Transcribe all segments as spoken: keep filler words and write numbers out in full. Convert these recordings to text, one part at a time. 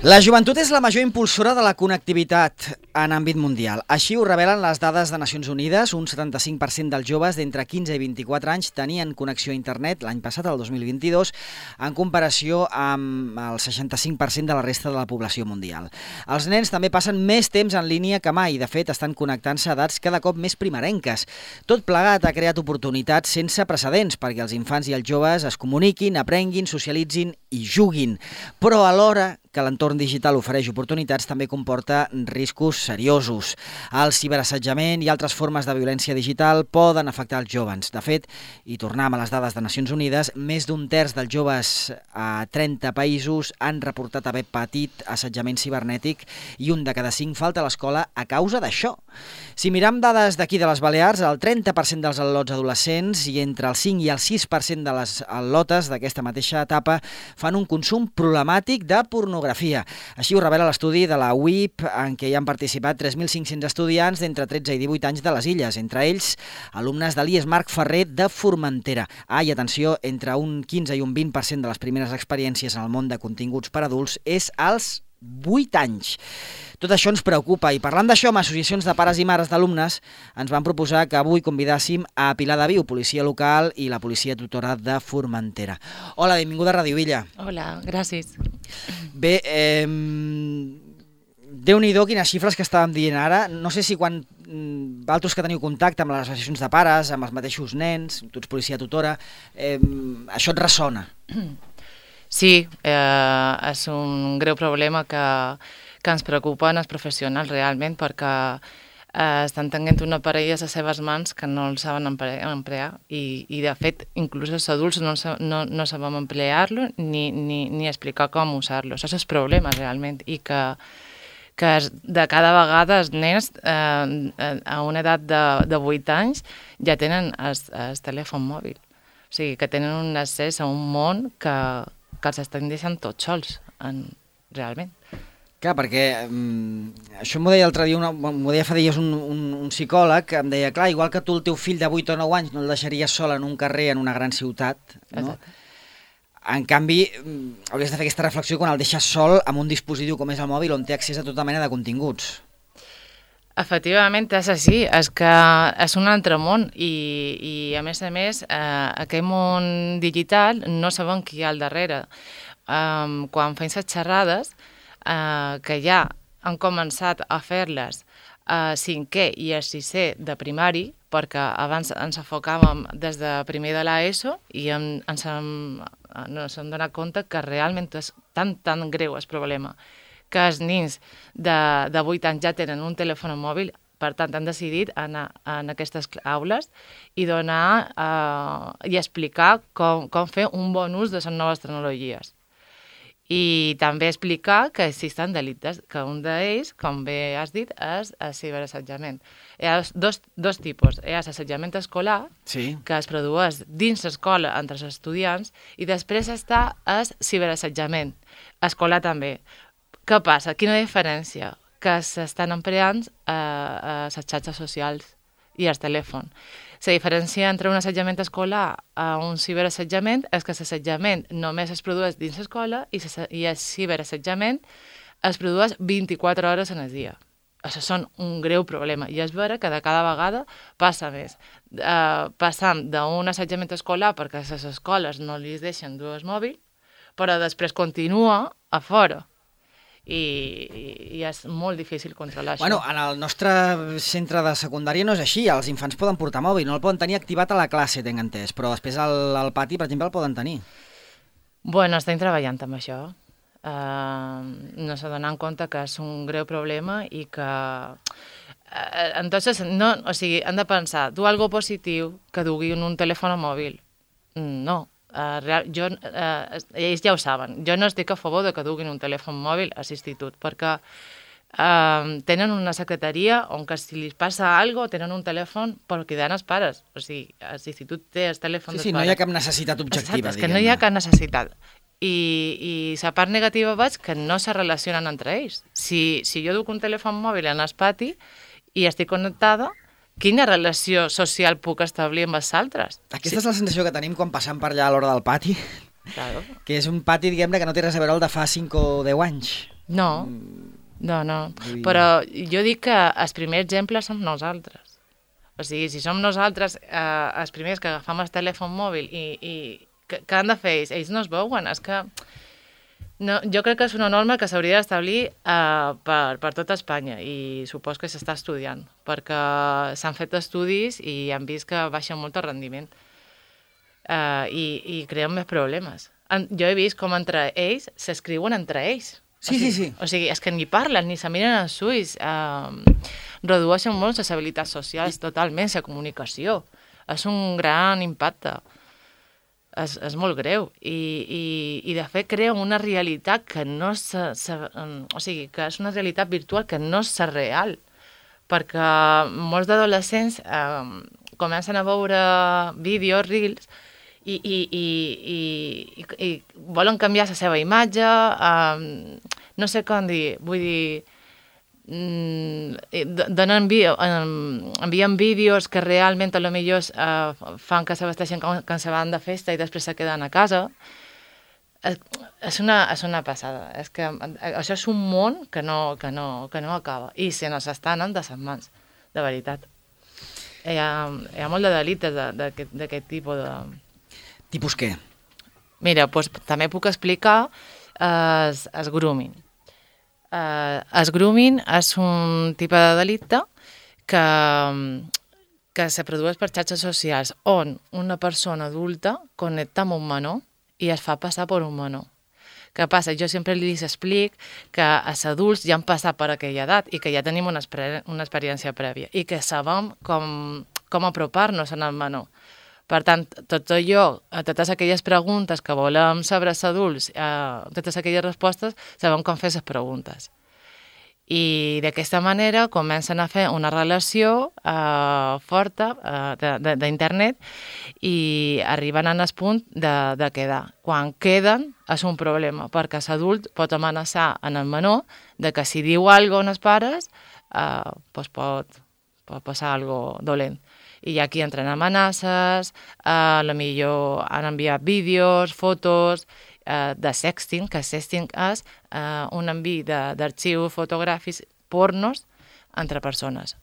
La joventut és la major impulsora de la connectivitat en àmbit mundial. Així ho revelen les dades de Nacions Unides. Un setanta-cinc per cent dels joves d'entre quinze i vint-i-quatre anys tenien connexió a internet l'any passat, el dos mil vint-i-dos, en comparació amb el seixanta-cinc per cent de la resta de la població mundial. Els nens també passen més temps en línia que mai. De fet, estan connectant-se a edats cada cop més primerenques. Tot plegat ha creat oportunitats sense precedents perquè els infants i els joves es comuniquin, aprenguin, socialitzin i juguin. Però alhora que l'entorn digital ofereix oportunitats també comporta riscos seriosos. El ciberassetjament i altres formes de violència digital poden afectar els joves. De fet, i tornem a les dades de Nacions Unides, més d'un terç dels joves a trenta països han reportat haver patit assetjament cibernètic i un de cada cinc falta a l'escola a causa d'això. Si miram dades d'aquí de les Balears, el trenta per cent dels al·lots adolescents i entre el cinc i el sis per cent de les al·lotes d'aquesta mateixa etapa fan un consum problemàtic de pornografia. Així ho revela l'estudi de la U I P, en què hi han participat tres mil cinc-cents estudiants d'entre tretze i divuit anys de les Illes, entre ells alumnes de l'I E S Marc Ferrer de Formentera. Ah, i atenció, entre un quinze i un vint per cent de les primeres experiències en el món de continguts per adults és als vuit anys. Tot això ens preocupa i parlant d'això amb associacions de pares i mares d'alumnes ens van proposar que avui convidàssim a Pilar de Viu, policia local i la policia tutora de Formentera. Hola, benvinguda a Ràdio Villa. Hola, gràcies. Bé, eh, Déu-n'hi-do quines xifres que estàvem dient ara. No sé si quan vosaltres que teniu contacte amb les associacions de pares, amb els mateixos nens, tu ets policia tutora, eh, això et ressona. Sí, eh, és un greu problema que, que ens preocupen els professionals realment perquè eh, estan tenint una parella a les seves mans que no el saben emplear i, i de fet inclús els adults no, no, no sabem emplear-lo ni, ni, ni explicar com usar-lo. Això és el problema realment i que, que de cada vegada els nens eh, a una edat de, de vuit anys ja tenen el, el telèfon mòbil. O sigui, que tenen un accés a un món que que els estan deixant tots sols, en, realment. Clar, perquè um, això m'ho deia l'altre dia, m'ho deia fa dies un, un, un psicòleg, que em deia, clar, igual que tu el teu fill de vuit o nou anys no el deixaries sol en un carrer en una gran ciutat, no? En canvi, um, hauries de fer aquesta reflexió quan el deixes sol amb un dispositiu com és el mòbil on té accés a tota mena de continguts. Efectivament, és així, és que és un altre món i, i a més a més, eh, aquest món digital no sabem qui hi ha al darrere. Um, quan fem les xerrades, eh, que ja han començat a fer-les a cinquè i a sisè de primari, perquè abans ens enfocàvem des de primer de l'ESO i en, ens hem, ens hem donat compte que realment és tan, tan greu el problema que els nens de, de vuit anys ja tenen un telèfon mòbil, per tant han decidit anar en aquestes aules i donar eh, i explicar com, com fer un bon ús de les noves tecnologies. I també explicar que existen delictes, que un d'ells, com bé has dit, és el ciberassetjament. Hi ha dos, dos tipus. Hi ha l'assetjament escolar, sí, que es produeix dins l'escola entre els estudiants, i després està el ciberassetjament escolar també. Què passa? Quina diferència? Que s'estan empleant eh, a les xarxes socials i el telèfon. La diferència entre un assetjament escolar a un ciberassetjament és que l'assetjament només es produeix dins l'escola i, i el ciberassetjament es produeix vint-i-quatre hores en el dia. Això és un greu problema i és vera que de cada vegada passa més. Eh, passant d'un assetjament escolar perquè a les escoles no li deixen dur el mòbil, però després continua a fora. I, i és molt difícil controlar això. Bueno, en el nostre centre de secundària no és així, els infants poden portar mòbil, no el poden tenir activat a la classe, tenc entès, però després al, al pati, per exemple, el poden tenir. Bueno, estem treballant amb això. Uh, no s'ha donat en compte que és un greu problema i que... Uh, entonces, no, o sigui, han de pensar, du algo positiu que dugui un telèfon mòbil? No. Uh, real, jo, uh, ells ja ho saben, jo no estic a favor de que duguin un telèfon mòbil a l'institut, perquè uh, tenen una secretaria on que si li passa alguna cosa tenen un telèfon per cridar els pares, o sigui, l'institut té el telèfon sí, dels sí, pares. No hi ha cap necessitat objectiva. Exacte, és que no hi ha cap necessitat. I, i la part negativa veig que no se relacionen entre ells. Si, si jo duc un telèfon mòbil en el pati i estic connectada, quina relació social puc establir amb els altres? Aquesta sí. És la sensació que tenim quan passam per allà a l'hora del pati. Claro. Que és un pati, diguem-ne, que no té res a veure el de fa cinc o deu anys. No, no, no. Però jo dic que el primer exemple som nosaltres. O sigui, si som nosaltres eh, els primers que agafam el telèfon mòbil i, i què, què han de fer ells? Ells no es veuen, és que... No, jo crec que és una norma que s'hauria d'establir eh, per, per tota Espanya i supos que s'està estudiant, perquè s'han fet estudis i han vist que baixa molt el rendiment eh, i, i creen més problemes. En, jo he vist com entre ells s'escriuen entre ells. Sí, o sigui, sí, sí. O sigui, és que ni parlen, ni se miren els ulls, eh, redueixen molt les habilitats socials, totalment, la comunicació. És un gran impacte. És, és molt greu i, i, i de fet crea una realitat que no és, o sigui, que és una realitat virtual que no és real, perquè molts d'adolescents eh, comencen a veure vídeos, reels, i, i, i, i, i volen canviar la seva imatge, eh, no sé com dir, vull dir, donen envien vídeos que realment a lo millor eh, fan que se vesteixen com que se van de festa i després se queden a casa. És, és, una, és una passada. És que això és un món que no, que no, que no acaba. I se nos està anant de ses mans, de veritat. Hi ha, hi ha molt de delictes d'aquest tipus de... Tipus què? Mira, doncs, també puc explicar el eh, grooming. Uh, el grooming és un tipus de delicte que, que se produeix per xarxes socials on una persona adulta connecta amb un menor i es fa passar per un menor. Què passa? Jo sempre li explico que els adults ja han passat per aquella edat i que ja tenim una, una experiència prèvia i que sabem com, com apropar-nos al menor. Per tant, tot allò, totes aquelles preguntes que volem saber els adults, eh, totes aquelles respostes, sabem com fer les preguntes. I d'aquesta manera comencen a fer una relació eh, forta eh, d'internet i arriben al punt de, de quedar. Quan queden és un problema, perquè l'adult pot amenaçar en el menor de que si diu alguna cosa als pares eh, doncs pot, pot passar alguna cosa dolent. I aquí entren amenaces, a la millor han enviat vídeos, fotos eh, de sexting, que sexting és eh, un envi d'arxius fotogràfics pornos entre persones.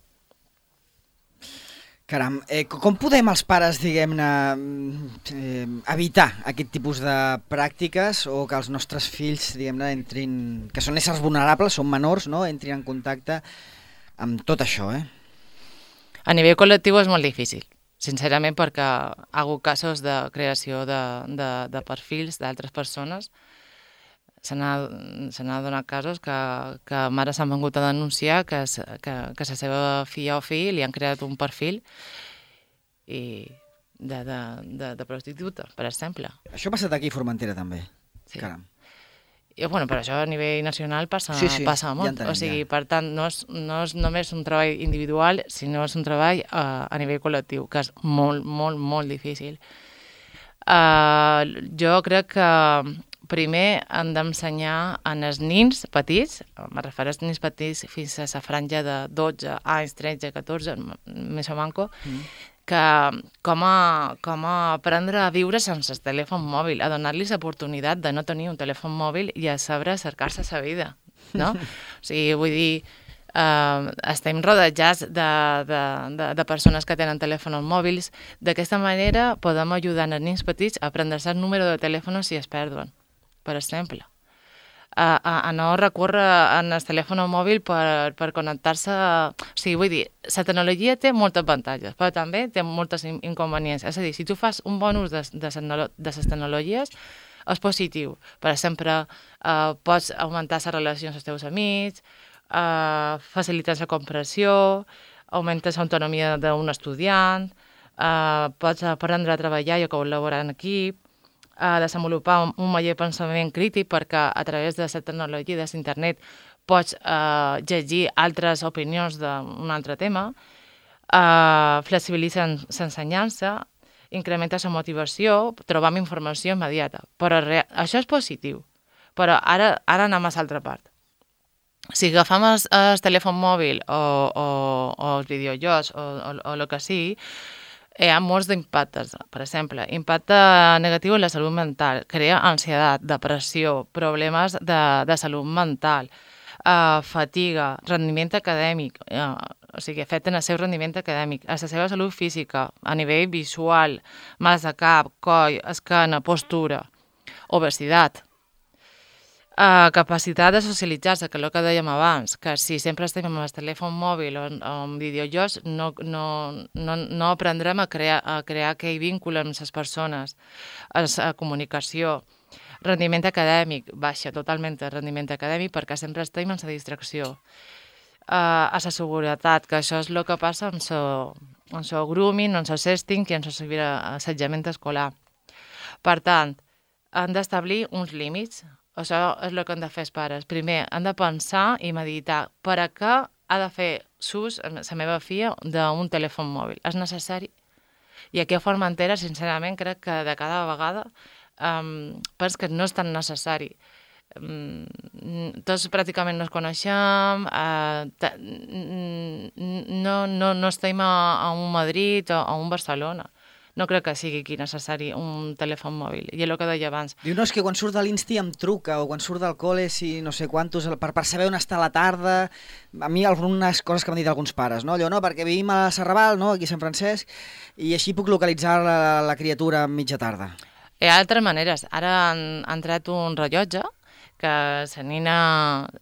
Caram, eh, com podem els pares, diguem-ne, eh, evitar aquest tipus de pràctiques o que els nostres fills, diguem-ne, entrin, que són éssers vulnerables, són menors, no?, entrin en contacte amb tot això, eh? A nivell col·lectiu és molt difícil, sincerament, perquè ha hagut casos de creació de, de, de perfils d'altres persones. Se n'ha donat casos que, que mares s'han vengut a denunciar que, que, que la seva filla o fill li han creat un perfil i de, de, de, de prostituta, per exemple. Això ha passat aquí a Formentera també. Sí. Caram. I, bueno, però això a nivell nacional passa, sí, sí, passa molt. Ja entenem, o sigui, ja. Per tant, no és, no és només un treball individual, sinó és un treball uh, a nivell col·lectiu, que és molt, molt, molt difícil. Uh, jo crec que primer hem d'ensenyar als nins petits, me refereixo als nins petits fins a la franja de dotze anys, tretze, catorze, més o manco, mm. que com a, com a aprendre a viure sense el telèfon mòbil, a donar-los l'oportunitat de no tenir un telèfon mòbil i a saber cercar-se la vida, no? O sigui, vull dir, eh, estem rodejats de, de, de, de persones que tenen telèfons mòbils. D'aquesta manera podem ajudar els nens petits a aprendre-se el número de telèfon si es perden, per exemple. A, a, a no recórrer en el telèfon mòbil per, per connectar-se. O sigui, vull dir, la tecnologia té moltes avantatges, però també té moltes inconvenients. És a dir, si tu fas un bon ús de, de, de les tecnologies, és positiu. Per exemple, eh, pots augmentar les relacions amb els teus amics, eh, facilitar la comprensió, augmentes l'autonomia d'un estudiant, eh, pots aprendre a treballar i a col·laborar en equip, a desenvolupar un major pensament crític perquè a través de la tecnologia de l'internet pots eh, llegir altres opinions d'un altre tema, eh, flexibilitzar l'ensenyança, incrementa la motivació, trobam informació immediata. Però re... això és positiu. Però ara, ara anem a l'altra part. Si agafem el, el telèfon mòbil o, o, o els videojocs o, o, o el que sigui, Hi ha molts d'impactes, per exemple, impacte negatiu en la salut mental, crea ansietat, depressió, problemes de, de salut mental, uh, fatiga, rendiment acadèmic, uh, o sigui, afecten el seu rendiment acadèmic, a la seva salut física, a nivell visual, mals de cap, coll, esquena, postura, obesitat. Uh, capacitat de socialitzar-se, que és el que dèiem abans, que si sempre estem amb el telèfon mòbil o, o amb videojocs, no, no, no, no aprendrem a crear, a crear aquell vincle amb les persones, a la comunicació. Rendiment acadèmic, baixa totalment el rendiment acadèmic perquè sempre estem en la distracció. Uh, a la seguretat, que això és el que passa amb el grooming, amb el sexting i amb l'assetjament escolar. Per tant, han d'establir uns límits. Això és el que han de fer els pares. Primer, han de pensar i meditar per a què ha de fer ús la meva filla d'un telèfon mòbil. És necessari? I aquí a Formentera, sincerament, crec que de cada vegada um, penso que no és tan necessari. Um, tots pràcticament no ens coneixem, uh, no, no, no estem a, a un Madrid o a un Barcelona. No crec que sigui aquí necessari un telèfon mòbil, i és el que deia abans. Diu, no, és que quan surt de l'Insti em truca, o quan surt del col·le, si no sé quantos, per, per saber on està la tarda. A mi algunes coses que m'han dit alguns pares, no? Allò, no, perquè vivim a Serrabal, no?, aquí a Sant Francesc, i així puc localitzar la, la criatura a mitja tarda. Hi ha altres maneres. Ara han, han tret un rellotge que la nina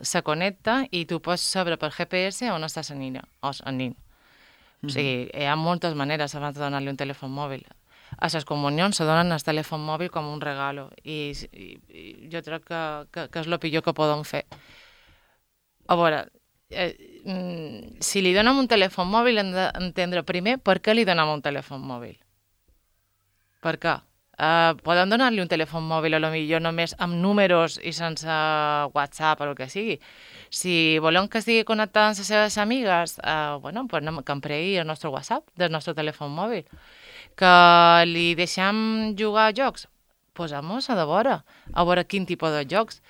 se connecta i tu pots saber per G P S on està la nina, o el nin. O sigui, hi ha moltes maneres abans de donar-li un telèfon mòbil. A les comunions se donen el telèfon mòbil com un regalo i, i, i jo crec que, que, que és el pitjor que poden fer. A veure, eh, si li donem un telèfon mòbil hem d'entendre primer per què li donem un telèfon mòbil. Per què? Uh, podem donar-li un telèfon mòbil a lo millor només amb números i sense WhatsApp o el que sigui. Si volem que estigui connectat amb les seves amigues, uh, bueno, pues anem, que empregui el nostre WhatsApp del nostre telèfon mòbil. Que li deixem jugar a jocs, posem-nos a de vora, a veure quin tipus de jocs.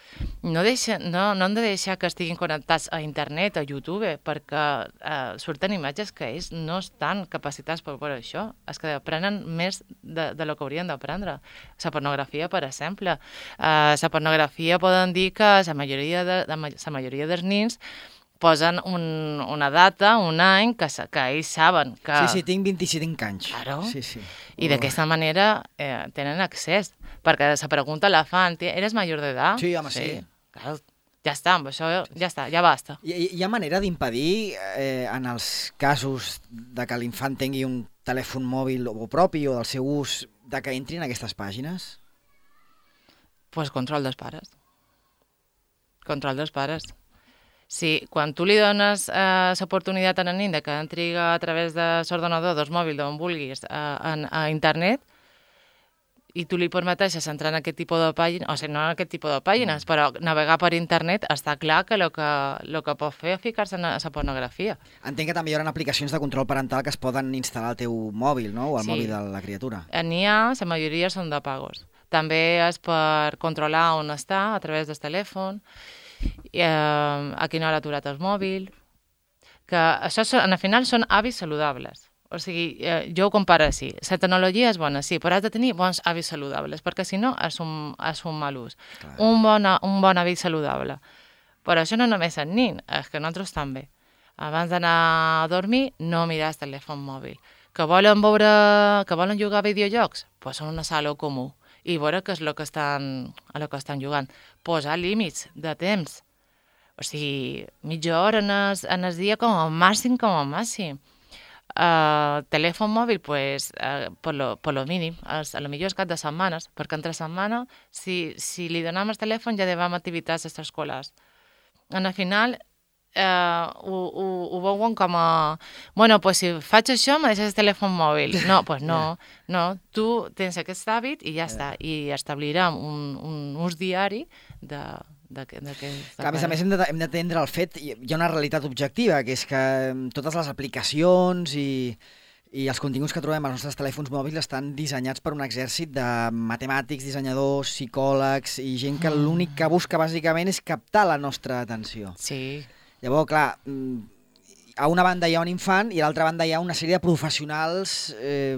No, deixa, no, no hem de deixar que estiguin connectats a internet, a YouTube, perquè eh, surten imatges que ells no estan capacitats per veure això. És que aprenen més de, de lo que haurien d'aprendre. La pornografia, per exemple. Eh, la pornografia poden dir que la majoria, de, la majoria dels nins posen un, una data, un any, que, que ells saben que... Sí, sí, tinc vint-i-cinc anys. Claro. Sí, sí. I d'aquesta manera eh, tenen accés, perquè la pregunta la fan, eres major d'edat? Sí, home, sí. sí. Claro, ja està, amb això ja està, ja basta. Hi, hi ha manera d'impedir, eh, en els casos de que l'infant tingui un telèfon mòbil o propi o del seu ús, de que entrin en aquestes pàgines? Pues control dels pares. Control dels pares. Sí, quan tu li dones eh, l'oportunitat a la nin de que entri a través de l'ordenador, del mòbil, d'on vulguis, a, a, a internet, i tu li permeteixes entrar en aquest tipus de pàgines, o sigui, no en aquest tipus de pàgines, però navegar per internet, està clar que el que, lo que pot fer és ficar-se en la pornografia. Entenc que també hi haurà aplicacions de control parental que es poden instal·lar al teu mòbil, no?, o al sí. mòbil de la criatura. N'hi ha, la majoria són de pagos. També és per controlar on està a través del telèfon, i, eh, a quina hora ha aturat el mòbil, que això al final són hàbits saludables. O sigui, eh, jo ho comparo així. La tecnologia és bona, sí, però has de tenir bons hàbits saludables, perquè si no és un, és un mal ús. Un bon, un bon hàbit saludable. Però això no només és nin, és que nosaltres també. Abans d'anar a dormir, no mirar el telèfon mòbil. Que volen veure, que volen jugar a videojocs? Pues en una sala comú. I veure què és el que estan, el que estan jugant. Posar límits de temps. O sigui, mitja hora en el, en el dia com a màxim, com a màxim. Uh, telèfon mòbil, pues, uh, per, lo, per lo mínim, a lo millor és cap de setmanes, perquè entre setmana, si, si li donem el telèfon ja devem activitats extraescolars. En el final, Uh, ho, ho, ho veuen com a... Bueno, pues si faig això, me deixes el telèfon mòbil. No, pues no, no. Tu tens aquest hàbit i ja està. I establirem un, un ús diari de... de, de, de a més a més, hem d'atendre el fet, hi ha una realitat objectiva, que és que totes les aplicacions i, i els continguts que trobem als nostres telèfons mòbils estan dissenyats per un exèrcit de matemàtics, dissenyadors, psicòlegs i gent que l'únic que busca bàsicament és captar la nostra atenció. Sí. Llavors, clar, a una banda hi ha un infant i a l'altra banda hi ha una sèrie de professionals, eh,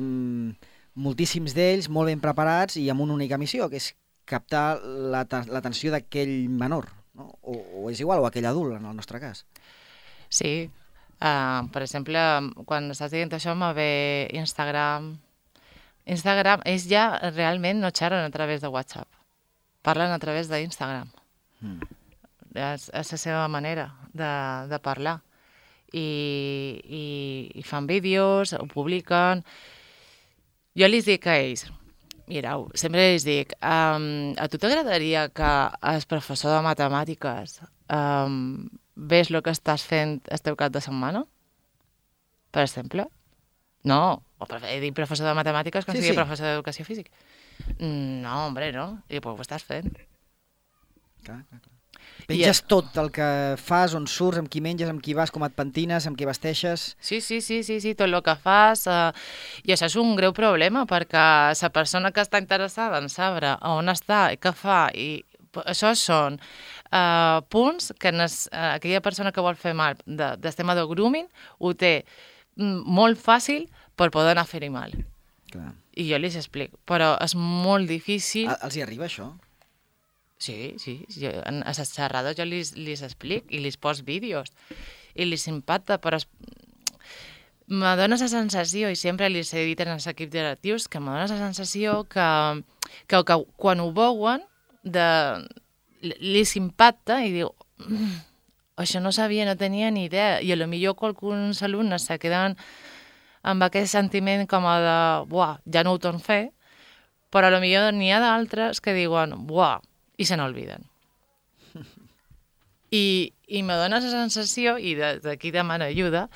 moltíssims d'ells, molt ben preparats i amb una única missió, que és captar l'atenció d'aquell menor, no? O, o és igual, o aquell adult, en el nostre cas. Sí. Uh, per exemple, quan estàs dient això, me ve Instagram. Instagram, ells ja realment no xerren a través de WhatsApp. Parlen a través d'Instagram. Mm. És, és la seva manera de, de parlar. I, i, i fan vídeos, ho publiquen. Jo els dic a ells, mireu, sempre els dic, um, a tu t'agradaria que el professor de matemàtiques um, ves el que estàs fent el teu cap de setmana? Per exemple? No, o he dit professor de matemàtiques que sí, sigui sí. Professor d'educació física. No, hombre, no. I pues ho estàs fent. Clar, clar, clar. Penges I... tot el que fas, on surts, amb qui menges, amb qui vas, com et pentines, amb qui vesteixes... Sí, sí, sí, sí, sí tot el que fas. Uh, I això és un greu problema, perquè la persona que està interessada en saber on està i què fa, i això són uh, punts que nes, uh, aquella persona que vol fer mal de, del tema del grooming ho té molt fàcil per poder anar a fer-hi mal. Clar. I jo li explico, però és molt difícil... A, els hi arriba això? Sí, sí. Jo, a les xerrades jo li explico i li pos vídeos i li impacta, però es... me dona la sensació, i sempre li he dit en els equips directius, que me dona la sensació que, que, que quan ho veuen de... li s'impacta i diu mm, això no sabia, no tenia ni idea, i potser alguns alumnes se queden amb aquest sentiment com a de buah, ja no ho torn a fer, però potser n'hi ha d'altres que diuen buah, i se n'olviden. I, i me dona la sensació, i d'aquí demano ajuda,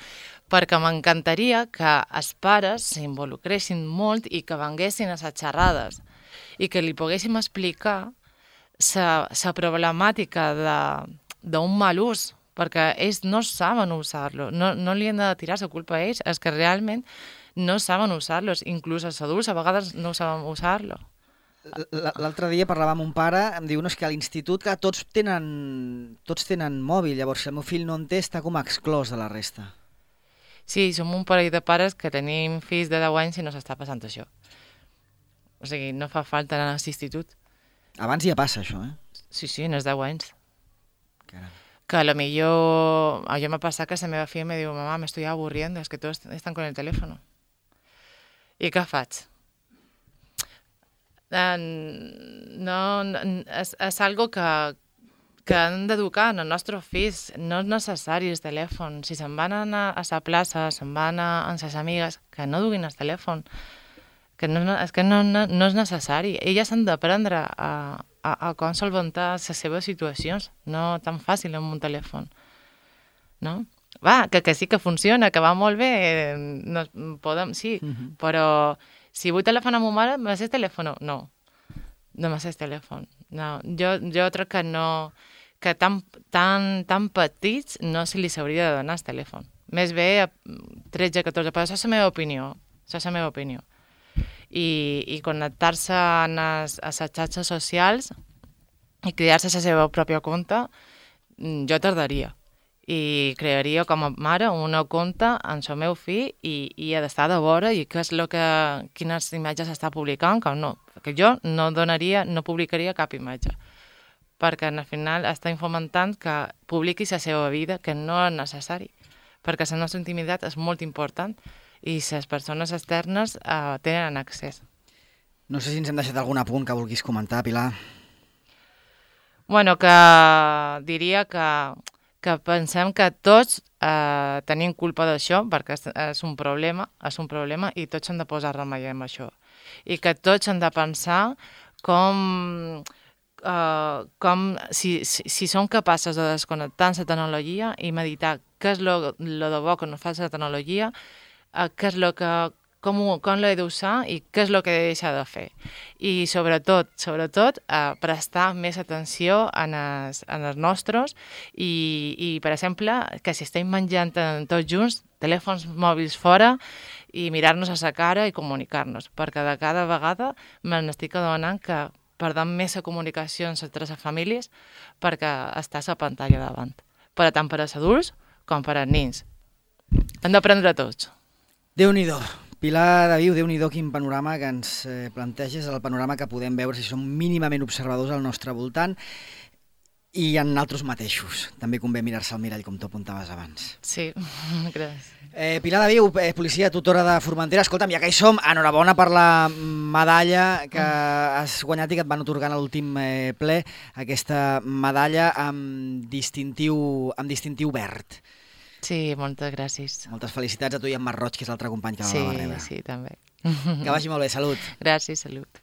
perquè m'encantaria que els pares s'involucressin molt i que venguessin a les xerrades i que li poguéssim explicar la problemàtica d'un mal ús, perquè ells no saben usar-lo, no, no li han de tirar la culpa a ells, és que realment no saben usar-los, inclús els adults a vegades no saben usar-lo. L'altre dia parlava amb un pare, em diu no, és que a l'institut que tots tenen, tots tenen mòbil, llavors si el meu fill no en té està com exclòs de la resta. Sí, som un parell de pares que tenim fills de deu anys i no s'està passant això. O sigui, no fa falta anar a l'institut. Abans ja passa això, eh? Sí, sí, en els deu anys. Caram. Que a lo millor... A jo m'ha passat que la meva filla me diu mamà, me estoy aburriendo, es que todos están con el teléfono. I què faig? No, no, és, és algo que, que han d'educar en els nostres fills. No és necessari el telèfon. Si se'n van anar a la plaça, se'n van anar amb les amigues, que no duguin el telèfon. Que no, és que no, no, no és necessari. Elles han d'aprendre a, a, a com solventar les seves situacions, no tan fàcil amb un telèfon. No? Va, que, que sí que funciona, que va molt bé, no, podem, sí, uh-huh. Però si vull telèfon a ma mare, m'has el telèfon? No, no m'has el telèfon. No. Jo, jo crec que no, que tan, tan, tan petits no se li s'hauria de donar el telèfon. Més bé a tretze catorze, però això és la meva opinió, això és la meva opinió. I, i connectar-se a les xarxes socials i crear-se la seva pròpia compte, jo tardaria. I crearia com a mare una compte en el meu fill i, i ha d'estar de vora i què és lo que, quines imatges està publicant, que no. Perquè jo no donaria, no publicaria cap imatge. Perquè al final està fomentant que publiqui la seva vida, que no és necessari. Perquè la nostra intimitat és molt important i les persones externes eh, tenen accés. No sé si ens hem deixat algun apunt que vulguis comentar, Pilar. Bueno, que diria que, que pensem que tots eh, tenim culpa d'això, perquè és, és un problema, és un problema i tots hem de posar remei amb això. I que tots hem de pensar com, eh, com si, si, si som capaces de desconnectar la tecnologia i meditar què és lo, lo de bo que no fa la tecnologia, què és lo que, com, com l'he d'usar i què és el que he de deixar de fer. I sobretot, sobretot, eh, prestar més atenció en els, en els nostres i, i, per exemple, que si estem menjant tots junts, telèfons mòbils fora i mirar-nos a la cara i comunicar-nos, perquè de cada vegada me n'estic adonant que perdem més la comunicació entre les famílies perquè està a la pantalla davant, per tant per als adults com per als nens. Hem d'aprendre tots. Déu-n'hi-do. Pilar de Viu, Déu-n'hi-do quin panorama que ens planteges, el panorama que podem veure si som mínimament observadors al nostre voltant i en altres mateixos. També convé mirar-se al mirall, com tu apuntaves abans. Sí, gràcies. Eh, Pilar de Viu, eh, policia tutora de Formentera. Escolta'm, ja que hi som, enhorabona per la medalla que has guanyat i que et van otorgar en l'últim eh, ple, aquesta medalla amb distintiu, amb distintiu verd. Sí, moltes gràcies. Moltes felicitats a tu i a en Marc Roig, que és l'altre company que sí, la va rebre. Sí, també. Que vagi molt bé, salut. Gràcies, salut.